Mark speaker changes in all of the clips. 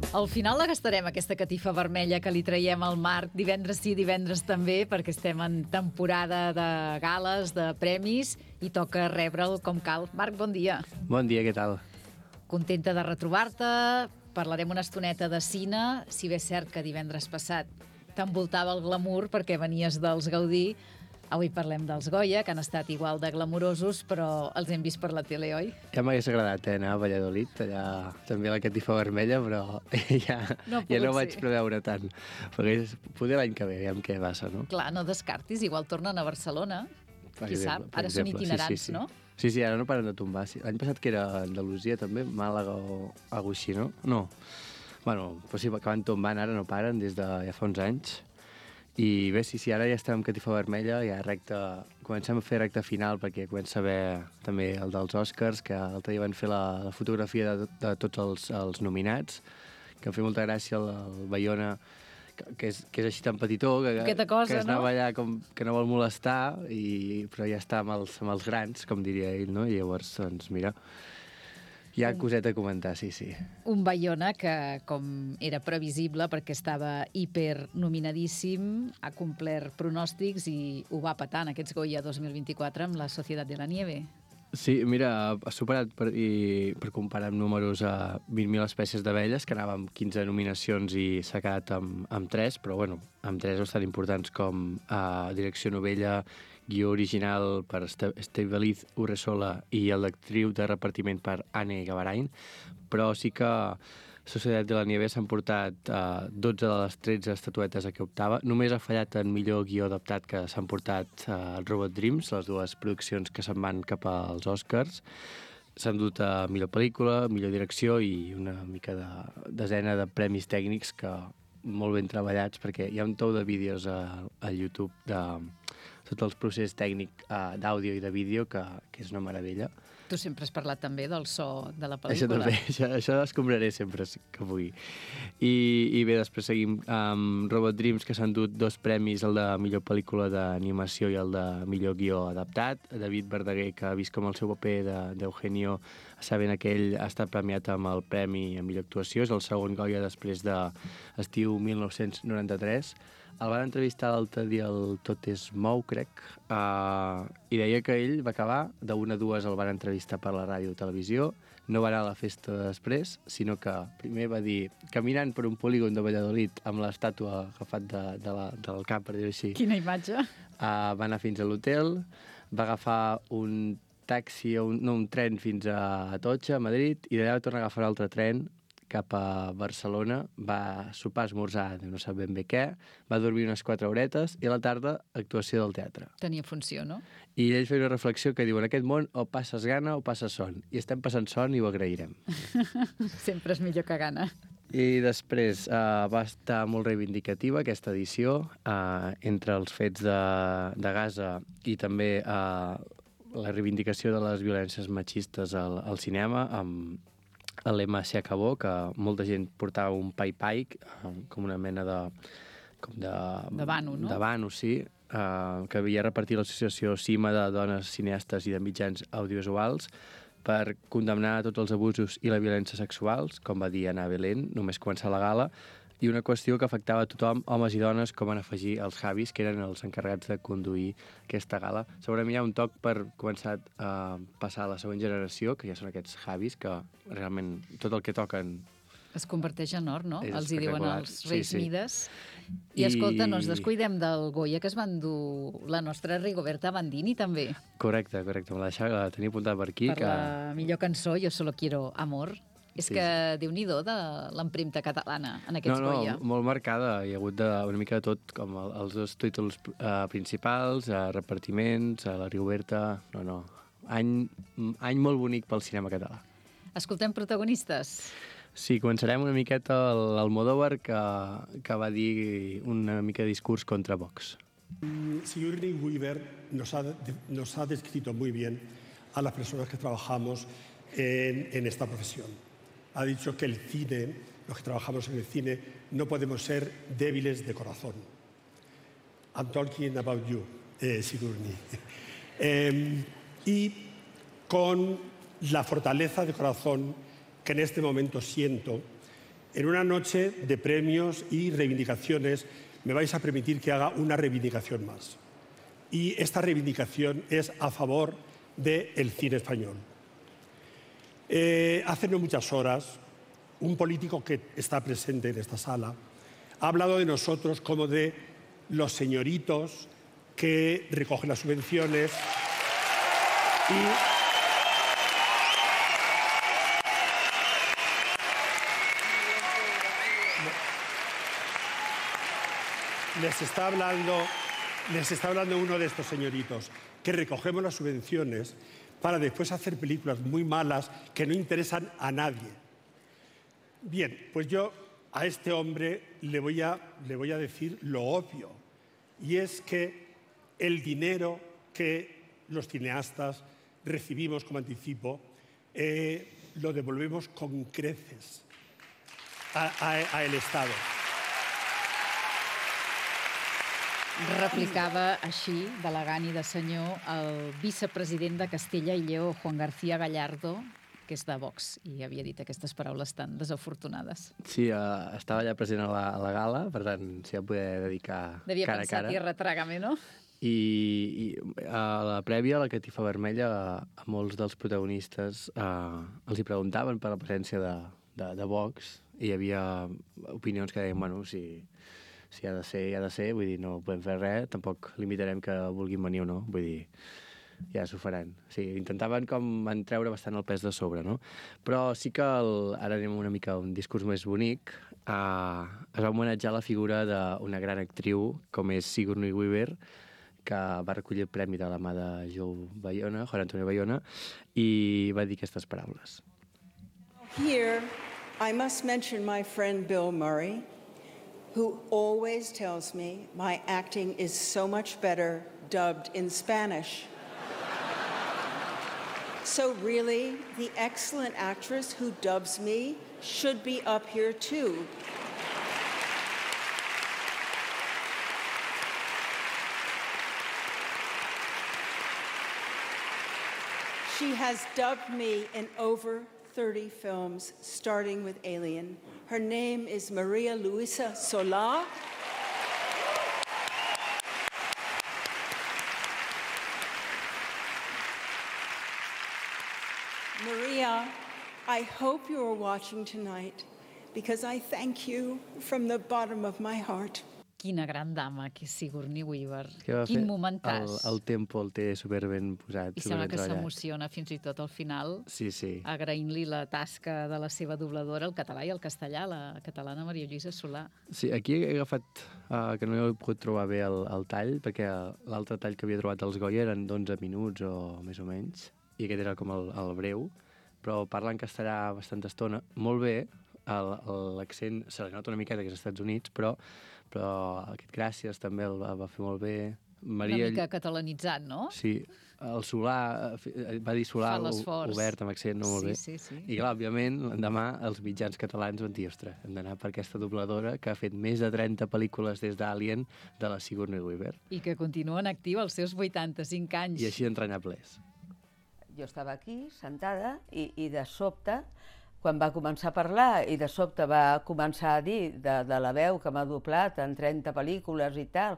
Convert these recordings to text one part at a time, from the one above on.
Speaker 1: Al final la gastarem, aquesta catifa vermella que li traiem al Marc divendres sí, divendres també, perquè estem en temporada de gales, de premis, i toca rebre'l com cal. Marc, bon dia.
Speaker 2: Bon dia, què tal?
Speaker 1: Contenta de retrobar-te. Parlarem una estoneta de cine, si bé és cert que divendres passat t'envoltava el glamour perquè venies dels Gaudí. Avui parlem dels Goya, que han estat igual de glamurosos, però els hem vist per la tele, oi?
Speaker 2: Ja m'hagués agradat anar a Valladolid, allà també la catifa vermella, però ja no vaig preveure tant. Perquè poder l'any que ve, aviam què passa, no?
Speaker 1: Clar, no descartis, igual tornen a Barcelona. Qui sap? Ara són itinerants,
Speaker 2: sí.
Speaker 1: No?
Speaker 2: Sí, ara no paren de tombar. L'any passat que era Andalusia també, Màlaga o alguna així, no? No. Bueno, però sí, que van tombant, ara no paren des de ja fa uns anys. I bé, sí, ara ja estem amb catifa vermella, ja comencem a fer recta final perquè comença a haver també el dels Oscars, que l'altre dia van fer la fotografia de tots els nominats, que em fa molta gràcia el Bayona, que és així tan petitó, que es anava allà que no vol molestar, però ja està amb els grans, com diria ell, no? I llavors, doncs, mira, hi ha coseta a comentar, sí.
Speaker 1: Un Bayona que, com era previsible, perquè estava hipernominadíssim, ha complert pronòstics i ho va petar en aquests Goya 2024 amb La Societat de la Nieve.
Speaker 2: Sí, mira, ha superat, per comparar amb números, a 20.000 espècies d'abelles, que anava amb 15 nominacions i s'ha quedat amb 3, però bueno, amb 3 bastant importants com direcció novella, guió original per Estevaliz Urresola i el d'actriu de repartiment per Anne Gavarain, però sí que Societat de la Nieve s'han portat 12 de les 13 estatuetes a què optava. Només ha fallat en millor guió adaptat, que s'han portat Robot Dreams, les dues produccions que se'n van cap als Oscars. S'han dut a millor pel·lícula, millor direcció i una mica de desena de premis tècnics que molt ben treballats, perquè hi ha un tou de vídeos a YouTube de tot el procés tècnic d'àudio i de vídeo que és una meravella.
Speaker 1: Tu sempre has parlat també del so de la pel·lícula.
Speaker 2: Això també, això escombraré sempre que pugui. I bé, després seguim amb Robot Dreams, que s'han dut 2 premis, el de millor pel·lícula d'animació i el de millor guió adaptat. David Verdaguer, que ha vist com el seu paper d'Eugenio sabent que ell ha estat premiat amb el premi a millor actuació, és el segon Goya després d'estiu 1993. El van entrevistar l'altre dia al Tot es mou, crec, i deia que ell va acabar, de 1 a 2 el van entrevistar per la ràdio o televisió, no va anar a la festa després, sinó que primer va dir, caminant per un polígon de Valladolid amb l'estàtua agafat del cap, per dir-ho així.
Speaker 1: Quina imatge!
Speaker 2: Va anar fins a l'hotel, va agafar un taxi, un tren fins a Atocha, a Madrid, i d'allà va tornar a agafar un altre tren cap a Barcelona, va sopar, esmorzar, no sap ben bé què, va dormir unes 4 horetes i a la tarda actuació del teatre.
Speaker 1: Tenia funció, no?
Speaker 2: I ell feia una reflexió que diu, en aquest món o passes gana o passes son. I estem passant son i ho agrairem.
Speaker 1: Sempre és millor que gana.
Speaker 2: I després va estar molt reivindicativa aquesta edició, entre els fets de Gaza i també la reivindicació de les violències machistes al cinema, amb el lema Se acabó, que molta gent portava un pai-pai, com una mena de
Speaker 1: vano, no?
Speaker 2: De vano, sí, que havia repartit l'associació CIMA de dones cineastes i de mitjans audiovisuals per condemnar tots els abusos i la violència sexuals, com va dir Ana Belén, només començar la gala, i una qüestió que afectava a tothom, homes i dones, com van afegir els Javis, que eren els encarregats de conduir aquesta gala. Segurament hi ha un toc per començar a passar a la següent generació, que ja són aquests Javis, que realment tot el que toquen
Speaker 1: es converteix en or, no? Els hi diuen els Reis Mides. I escolta, no ens descuidem del Goya, que es van dur la nostra Rigoberta Bandini, també.
Speaker 2: Correcte, la tenia apuntada per aquí.
Speaker 1: Per la millor cançó, Jo solo quiero amor. És que Déu-n'hi-do de l'empremta catalana en aquests Goya.
Speaker 2: No, molt marcada. Hi ha hagut una mica de tot, com els 2 títols principals, repartiments, la Rigoberta... No. Any molt bonic pel cinema català.
Speaker 1: Escoltem protagonistes.
Speaker 2: Sí, començarem una miqueta l'Almodóvar, que va dir una mica de discurs contra Vox.
Speaker 3: Sigourney Weaver nos ha descrito muy bien a las personas que trabajamos en esta profesión. Ha dicho que el cine los que trabajamos en el cine, no podemos ser débiles de corazón. I'm talking about you, Sigourney. Y con la fortaleza de corazón que en este momento siento, en una noche de premios y reivindicaciones, me vais a permitir que haga una reivindicación más. Y esta reivindicación es a favor del cine español. Hace no muchas horas, un político que está presente en esta sala ha hablado de nosotros como de los señoritos que recogen las subvenciones y les está hablando uno de estos señoritos que recogemos las subvenciones para después hacer películas muy malas que no interesan a nadie. Bien, pues yo a este hombre le voy a decir lo obvio, y es que el dinero que los cineastas recibimos como anticipo lo devolvemos con creces al Estado.
Speaker 1: Replicava així, d'elegant i de senyor, el vicepresident de Castella i Lleó, Juan García Gallardo, que és de Vox, i havia dit aquestes paraules tan desafortunades.
Speaker 2: Sí, estava allà present a la gala, per tant, s'hi va poder dedicar cara a cara.
Speaker 1: Devia pensar, tierra, trágame, no?
Speaker 2: I a la prèvia, a la catifa vermella, a molts dels protagonistes els hi preguntaven per la presència de Vox, i hi havia opinions que deien, bueno, si ha de ser, vull dir, no podem fer res, tampoc limitarem que vulguin venir o no, vull dir, ja s'ho faran. Sí, intentaven com treure bastant el pes de sobre, no? Però sí que, ara anem una mica a un discurs més bonic, es va homenatjar la figura d'una gran actriu com és Sigourney Weaver, que va recollir el premi de la mà de Juan Antonio Bayona, i va dir aquestes paraules.
Speaker 4: Here, I must mention my friend Bill Murray, who always tells me my acting is so much better dubbed in Spanish. So really, the excellent actress who dubs me should be up here too. She has dubbed me in over 30 films, starting with Alien. Her name is Maria Luisa Solá. Maria, I hope you are watching tonight because I thank you from the bottom of my heart.
Speaker 1: Quina gran dama, que és Sigourney Weaver. Quin momentàs.
Speaker 2: El tempo el té superben posat,
Speaker 1: I sembla que s'emociona fins i tot al final, agraint-li la tasca de la seva dobladora, el català i el castellà, la catalana Maria Lluïsa Solà.
Speaker 2: Sí, aquí he agafat, que no he pogut trobar bé el tall, perquè l'altre tall que havia trobat als Goya eren d'11 minuts o més o menys, i aquest era com el breu, però parla en castellà bastanta estona, molt bé, l'accent se li nota una miqueta que és als Estats Units, però aquest gràcies també el va fer molt bé.
Speaker 1: Una mica catalanitzat, no?
Speaker 2: Sí, el Solà, va dir Solà obert amb accent, no molt bé. I clar, òbviament, demà els mitjans catalans van dir, ostres, hem d'anar per aquesta dobladora que ha fet més de 30 pel·lícules des d'Alien de la Sigourney Weaver.
Speaker 1: I que continua en actiu als seus 85 anys.
Speaker 2: I així d'entranyables.
Speaker 5: Jo estava aquí, sentada, i de sobte, quan va començar a parlar i de sobte va començar a dir de la veu que m'ha doblat en 30 pel·lícules i tal,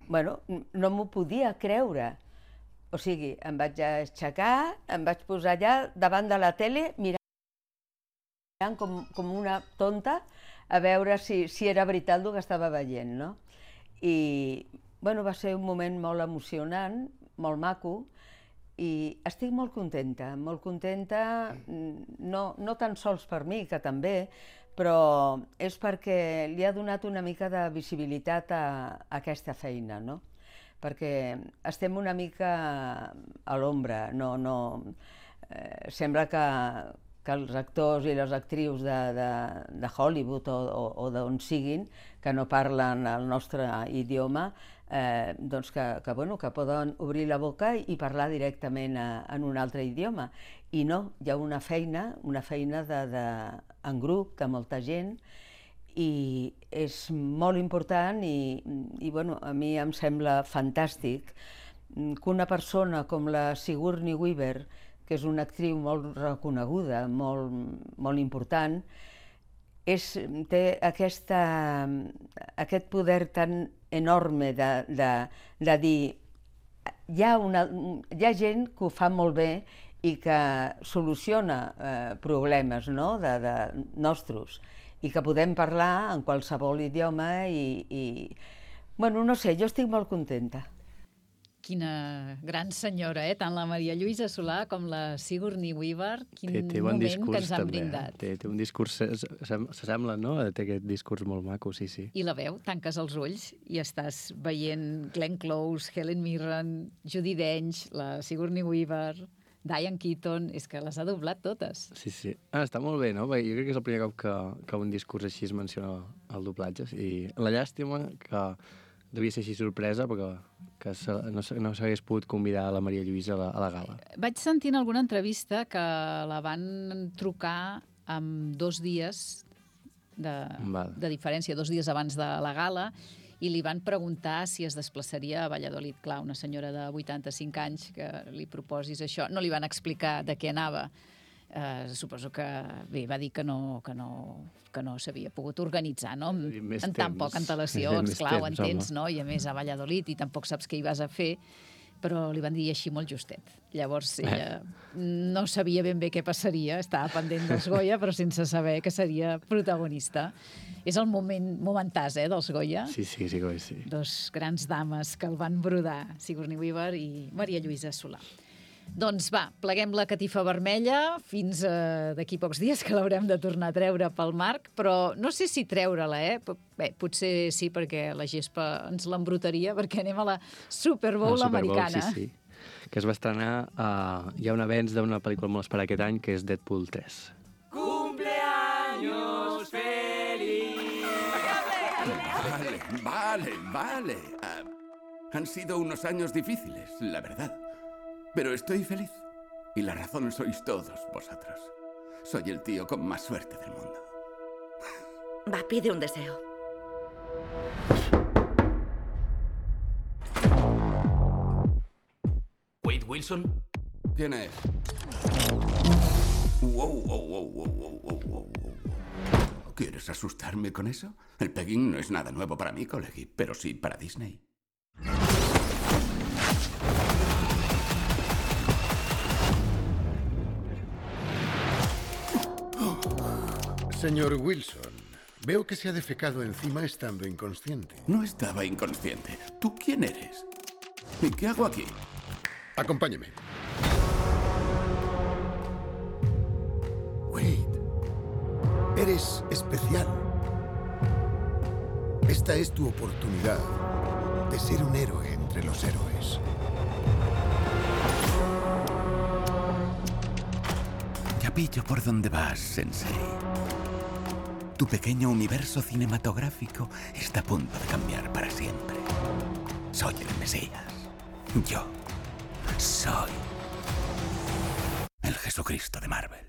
Speaker 5: bueno, no m'ho podia creure. O sigui, em vaig aixecar, em vaig posar allà davant de la tele mirant com una tonta a veure si era veritat el que estava veient, no? I, bueno, va ser un moment molt emocionant, molt maco, i estic molt contenta, no tan sols per mi, que també, però és perquè li ha donat una mica de visibilitat a aquesta feina, no? Perquè estem una mica a l'ombra, sembla que els actors i les actrius de Hollywood o d'on siguin, que no parlen el nostre idioma, doncs que poden obrir la boca i parlar directament en un altre idioma. I no, hi ha una feina en grup, de molta gent, i és molt important i bueno, a mi em sembla fantàstic que una persona com la Sigourney Weaver, que és una actriu molt reconeguda, molt important, té aquest poder tan enorme de dir hi ha gent que ho fa molt bé i que soluciona problemes nostres i que podem parlar en qualsevol idioma i bueno, no sé, jo estic molt contenta.
Speaker 1: Quina gran senyora, tant la Maria Lluïsa Solà com la Sigourney Weaver. Quin
Speaker 2: té bon
Speaker 1: moment
Speaker 2: discurs,
Speaker 1: que ens han
Speaker 2: també.
Speaker 1: brindat.
Speaker 2: Té un discurs, s'assembla, no? Té aquest discurs molt maco, sí.
Speaker 1: I la veu, tanques els ulls i estàs veient Glenn Close, Helen Mirren, Judi Dench, la Sigourney Weaver, Diane Keaton, és que les ha doblat totes.
Speaker 2: Sí. Està molt bé, no? Jo crec que és el primer cop que un discurs així es menciona el doblatge. I la llàstima que devia ser així sorpresa, perquè que no s'hagués pogut convidar la Maria Lluïsa a la gala.
Speaker 1: Vaig sentir en alguna entrevista que la van trucar amb 2 dies de diferència, 2 dies abans de la gala, i li van preguntar si es desplaçaria a Valladolid. Clar, una senyora de 85 anys que li proposis això. No li van explicar de què anava. Suposo que bé, va dir que no s'havia pogut organitzar, no? En tan poca antelació, esclar, ho entens, no? I a més a Valladolid, i tampoc saps què hi vas a fer, però li van dir així molt justet. Llavors ella no sabia ben bé què passaria, estava pendent dels Goya, però sense saber que seria protagonista. És el momentàs, dels Goya.
Speaker 2: Sí, Goya, sí.
Speaker 1: 2 grans dames que el van brodar, Sigourney Weaver i Maria Lluïsa Solà. Doncs va, pleguem la catifa vermella fins d'aquí pocs dies, que l'haurem de tornar a treure pel Marc, però no sé si treure-la, Bé, potser sí, perquè la gespa ens l'embrutaria, perquè anem a la Super Bowl americana.
Speaker 2: Sí, que es va estrenar, hi ha un avenç d'una pel·lícula molt esperada aquest any, que és Deadpool 3.
Speaker 6: ¡Cumpleaños feliz!
Speaker 7: Vale. Han sido unos años difíciles, la verdad. Pero estoy feliz. Y la razón sois todos vosotros. Soy el tío con más suerte del mundo.
Speaker 8: Va, pide un deseo.
Speaker 6: Wade Wilson.
Speaker 7: ¿Quién es? Wow. ¿Quieres asustarme con eso? El pegging no es nada nuevo para mí, colegui, pero sí para Disney.
Speaker 9: Señor Wilson, veo que se ha defecado encima estando inconsciente.
Speaker 7: No estaba inconsciente. ¿Tú quién eres? ¿Y qué hago aquí?
Speaker 9: Acompáñeme. Wade, eres especial. Esta es tu oportunidad de ser un héroe entre los héroes.
Speaker 7: Ya pillo por dónde vas, Sensei. Tu pequeño universo cinematográfico está a punto de cambiar para siempre. Soy el Mesías. Yo soy el Jesucristo de Marvel.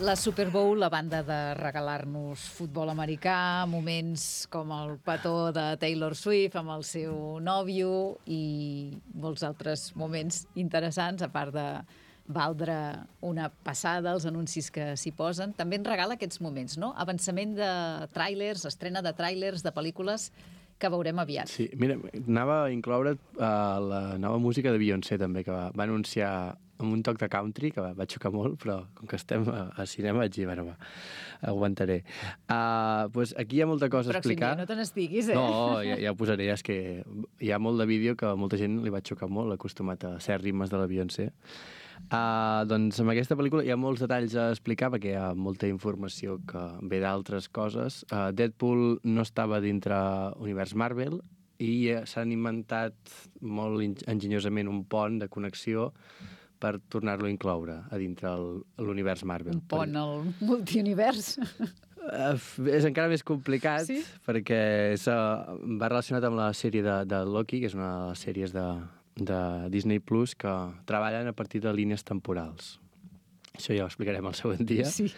Speaker 1: La Super Bowl, a banda de regalar-nos futbol americà, moments com el petó de Taylor Swift amb el seu nòvio i molts altres moments interessants, a part de valdre una passada als anuncis que s'hi posen. També ens regala aquests moments, no? Avançament de tràilers, estrena de tràilers, de pel·lícules que veurem aviat.
Speaker 2: Sí, mira, anava a incloure la nova música de Beyoncé, també, que va anunciar amb un toc de country, que va xocar molt, però com que estem a cinema vaig dir, bueno, aguantaré. Pues aquí hi ha molta cosa a explicar.
Speaker 1: Pròxim dia no te n'estiguis,
Speaker 2: No, ja ho posaré, és que hi ha molt de vídeo que a molta gent li va xocar molt, acostumat a ser ritmes de la Beyoncé. Doncs amb aquesta pel·lícula hi ha molts detalls a explicar perquè hi ha molta informació que ve d'altres coses. Deadpool no estava dintre univers Marvel i s'han inventat molt enginyosament un pont de connexió per tornar-lo a incloure a dintre l'univers Marvel.
Speaker 1: Un pont al multiunivers.
Speaker 2: És encara més complicat,
Speaker 1: Sí?
Speaker 2: perquè va relacionat amb la sèrie de Loki, que és una de les sèries de Disney Plus que treballen a partir de línies temporals. Això ja ho explicarem el següent dia.
Speaker 1: Sí.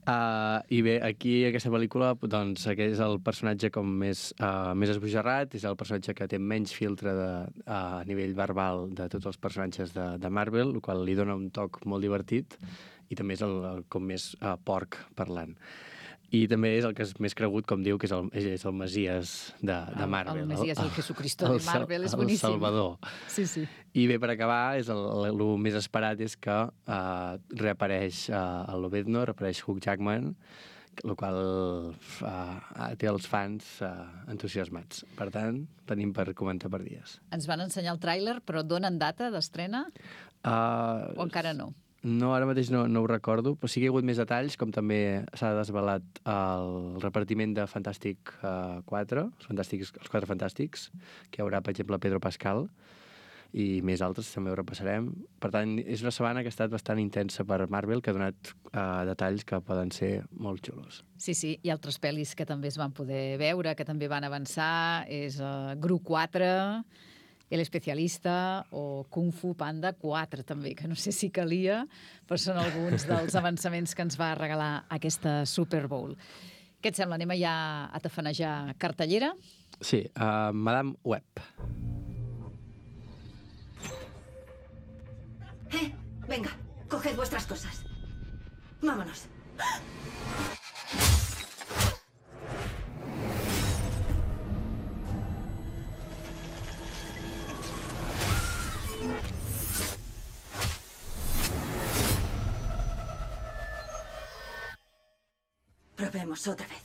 Speaker 2: I bé, aquí, aquesta pel·lícula, doncs, aquest és el personatge com més esbojarrat, és el personatge que té menys filtre a nivell verbal de tots els personatges de Marvel, el qual li dona un toc molt divertit, i també és el com més porc parlant. I també és el que és més cregut, com diu, que és el Messies de Marvel.
Speaker 1: El Messies, el Jesucristo de Marvel, és boníssim.
Speaker 2: El Salvador.
Speaker 1: Sí, sí.
Speaker 2: I bé, per acabar, el més esperat és que reapareix a Lobezno, reapareix Hugh Jackman, el qual té els fans entusiasmats. Per tant, tenim per comentar per dies.
Speaker 1: Ens van ensenyar el tràiler, però donen data d'estrena? O encara no?
Speaker 2: No, ara mateix no ho recordo, però sí que hi ha hagut més detalls, com també s'ha desvelat el repartiment de Fantàstic 4, els 4 Fantàstics, que hi haurà, per exemple, Pedro Pascal, i més altres també ho repassarem. Per tant, és una setmana que ha estat bastant intensa per Marvel, que ha donat detalls que poden ser molt xulos.
Speaker 1: Sí, sí, i altres pel·lis que també es van poder veure, que també van avançar, és Gru 4, El Especialista o Kung Fu Panda 4, també, que no sé si calia, però són alguns dels avançaments que ens va regalar aquesta Super Bowl. Què et sembla? Anem ja a tafanejar cartellera?
Speaker 2: Sí, Madame Web.
Speaker 8: Venga, coged vuestras cosas. Vámonos. Probemos otra vez.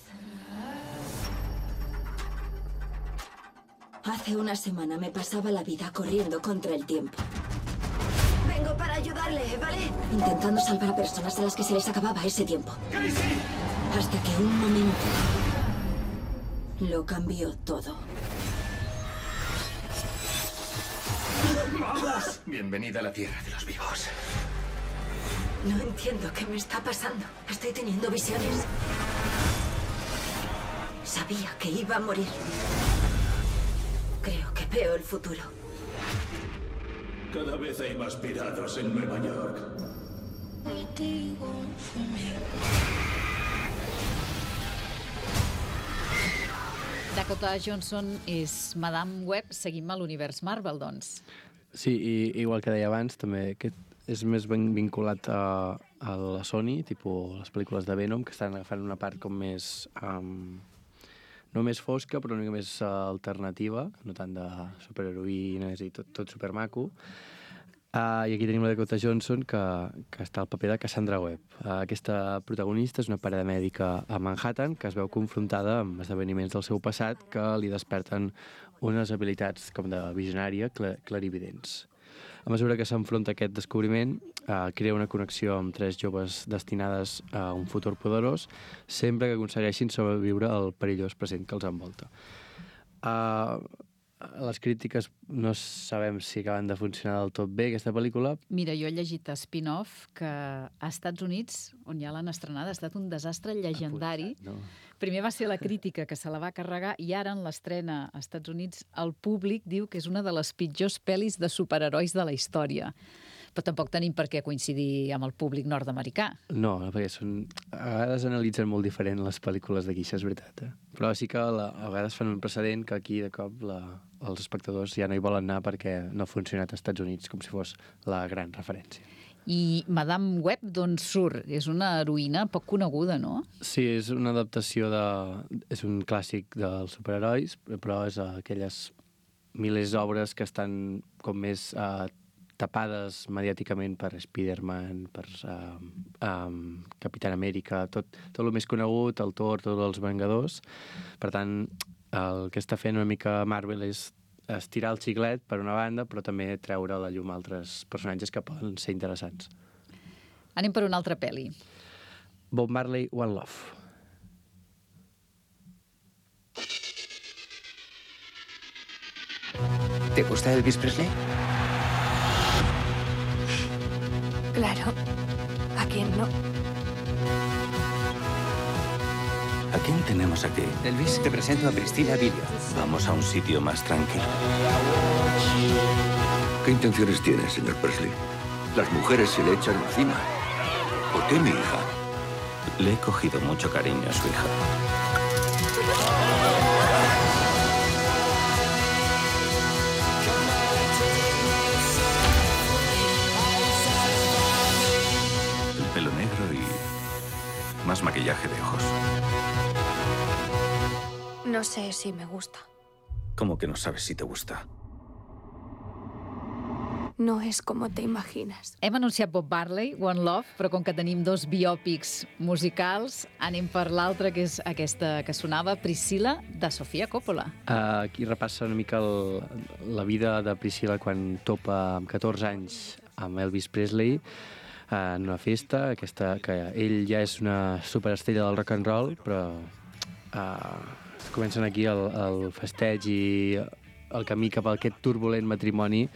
Speaker 8: Hace una semana me pasaba la vida corriendo contra el tiempo. Vengo para ayudarle, ¿vale? Intentando salvar a personas a las que se les acababa ese tiempo. Hasta que un momento lo cambió todo.
Speaker 7: ¡Vamos! Bienvenida a la tierra de los vivos.
Speaker 8: No entiendo qué me está pasando. Estoy teniendo visiones. Sabía que iba a morir. Creo que veo el futuro.
Speaker 10: Cada vez hay más piratas en Nueva York.
Speaker 1: Dakota Johnson és Madame Web. Seguim a l'univers Marvel, doncs.
Speaker 2: Sí, i igual que deia abans, també aquest és més ben vinculat a la Sony, tipus les pel·lícules de Venom, que estan agafant una part com més... no més fosca, però una mica més alternativa, no tant de superheroïnes i tot supermaco. I aquí tenim la Dakota Johnson, que està al paper de Cassandra Webb. Aquesta protagonista és una parada mèdica a Manhattan que es veu confrontada amb esdeveniments del seu passat que li desperten unes habilitats com de visionària clarividents. A mesura que s'enfronta a aquest descobriment, crea una connexió amb 3 joves destinades a un futur poderós, sempre que aconsegueixin sobreviure al perillós present que els envolta. Les crítiques no sabem si acaben de funcionar del tot bé, aquesta pel·lícula.
Speaker 1: Mira, jo he llegit a Spin-off que a Estats Units, on ja l'han estrenada, ha estat un desastre llegendari. No. Primer va ser la crítica que se la va carregar i ara en l'estrena als Estats Units el públic diu que és una de les pitjors pel·lis de superherois de la història. Però tampoc tenim per què coincidir amb el públic nord-americà.
Speaker 2: No, perquè a vegades analitzen molt diferent les pel·lícules d'aquí, això és veritat. Però sí que a vegades fan un precedent que aquí de cop els espectadors ja no hi volen anar perquè no ha funcionat als Estats Units com si fos la gran referència.
Speaker 1: I Madame Web d'on surt? És una heroïna poc coneguda, no?
Speaker 2: Sí, és una adaptació és un clàssic dels superherois, però és aquelles milers d'obres que estan com més tapades mediàticament per Spider-Man, per Capitán Amèrica, tot el més conegut, el Thor, tots els Vengadors. Per tant, el que està fent una mica Marvel és estirar el xiclet per una banda, però també treure a la llum altres personatges que poden ser interessants.
Speaker 1: Anem per una altra pel·li.
Speaker 2: Bob Marley, One Love.
Speaker 11: ¿Te gusta Elvis Presley?
Speaker 12: Claro. ¿A quién no?
Speaker 7: ¿A quién tenemos aquí?
Speaker 6: Elvis, te presento a Priscilla Vilio.
Speaker 7: Vamos a un sitio más tranquilo.
Speaker 10: ¿Qué intenciones tiene, señor Presley? Las mujeres se le echan encima. ¿Por qué mi hija?
Speaker 7: Le he cogido mucho cariño a su hija. El pelo negro y más maquillaje de ojos.
Speaker 11: No sé si me gusta.
Speaker 7: ¿Cómo que no sabes si te gusta?
Speaker 11: No és com te imagines.
Speaker 1: Hem anunciat Bob Marley, One Love, però com que tenim 2 biòpics musicals, anem per l'altra, que és aquesta que sonava, Priscilla, de Sofia Coppola.
Speaker 2: Aquí repassa una mica la vida de Priscilla quan topa amb 14 anys amb Elvis Presley en una festa, que ell ja és una superestrella del rock and roll, però comencen aquí el festeig i el camí cap a aquest turbulent matrimoni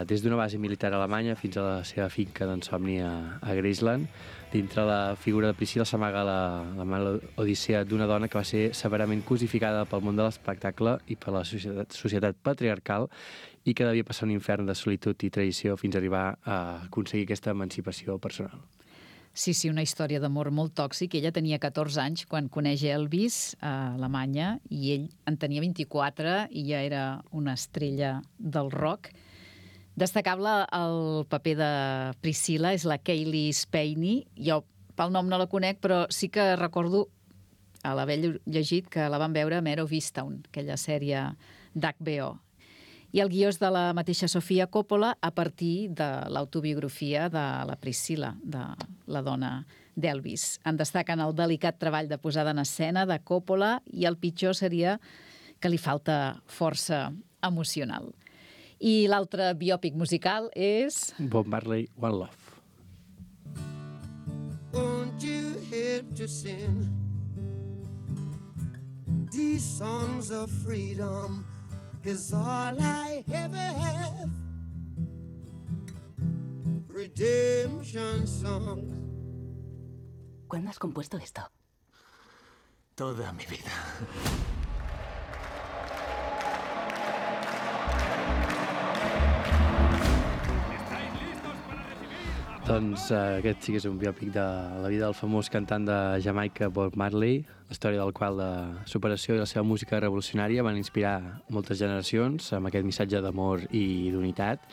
Speaker 2: des d'una base militar alemanya fins a la seva finca d'ensomni a Graceland. Dintre la figura de Priscilla s'amaga la odissea d'una dona que va ser severament cosificada pel món de l'espectacle i per la societat patriarcal i que devia passar un infern de solitud i traïció fins a arribar a aconseguir aquesta emancipació personal.
Speaker 1: Sí, una història d'amor molt tòxic. Ella tenia 14 anys quan coneix Elvis a Alemanya i ell en tenia 24 i ja era una estrella del rock. Destacable el paper de Priscilla és la Cailee Spaeny. Jo pel nom no la conec, però sí que recordo a l'haver llegit que la van veure a Mare of Easttown, aquella sèrie d'HBO. I el guió és de la mateixa Sofia Coppola a partir de l'autobiografia de la Priscilla, de la dona d'Elvis. En destaquen el delicat treball de posada en escena de Coppola i el pitjor seria que li falta força emocional. I l'altre biòpic musical és...
Speaker 2: Bob Marley, One Love.
Speaker 12: Won't you help to sing these songs of freedom is all I ever have. Redemption songs.
Speaker 13: ¿Cuándo has compuesto esto?
Speaker 6: Toda mi vida.
Speaker 2: Doncs aquest sí que és un biòpic de la vida del famós cantant de Jamaica Bob Marley, la història del qual de superació i la seva música revolucionària van inspirar moltes generacions amb aquest missatge d'amor i d'unitat.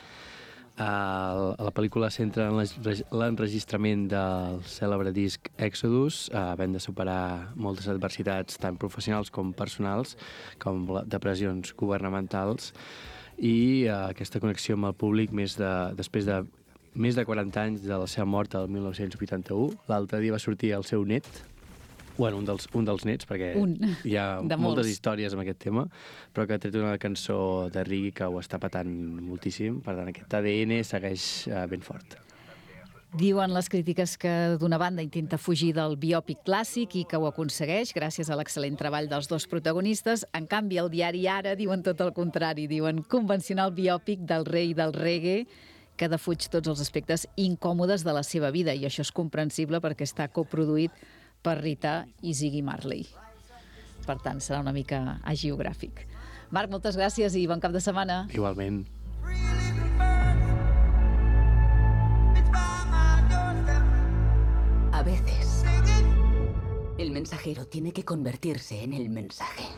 Speaker 2: La pel·lícula centra en l'enregistrament del cèlebre disc Exodus, havent de superar moltes adversitats tant professionals com personals, com depressions governamentals, i aquesta connexió amb el públic després de més de 40 anys de la seva mort el 1981. L'altre dia va sortir el seu net, bueno, un dels nets, perquè hi ha moltes històries amb aquest tema, però que ha tret una cançó de reggae que ho està patant moltíssim. Per tant, aquest ADN segueix ben fort.
Speaker 1: Diuen les crítiques que d'una banda intenta fugir del biòpic clàssic i que ho aconsegueix gràcies a l'excel·lent treball dels 2 protagonistes. En canvi, el diari Ara diuen tot el contrari. Diuen convencional biòpic del rei del reggae que defuig tots els aspectes incòmodes de la seva vida, i això és comprensible perquè està coproduït per Rita i Ziggy Marley. Per tant, serà una mica hagiogràfic. Marc, moltes gràcies i bon cap de setmana.
Speaker 2: Igualment.
Speaker 13: A veces, el mensajero tiene que convertirse en el mensaje.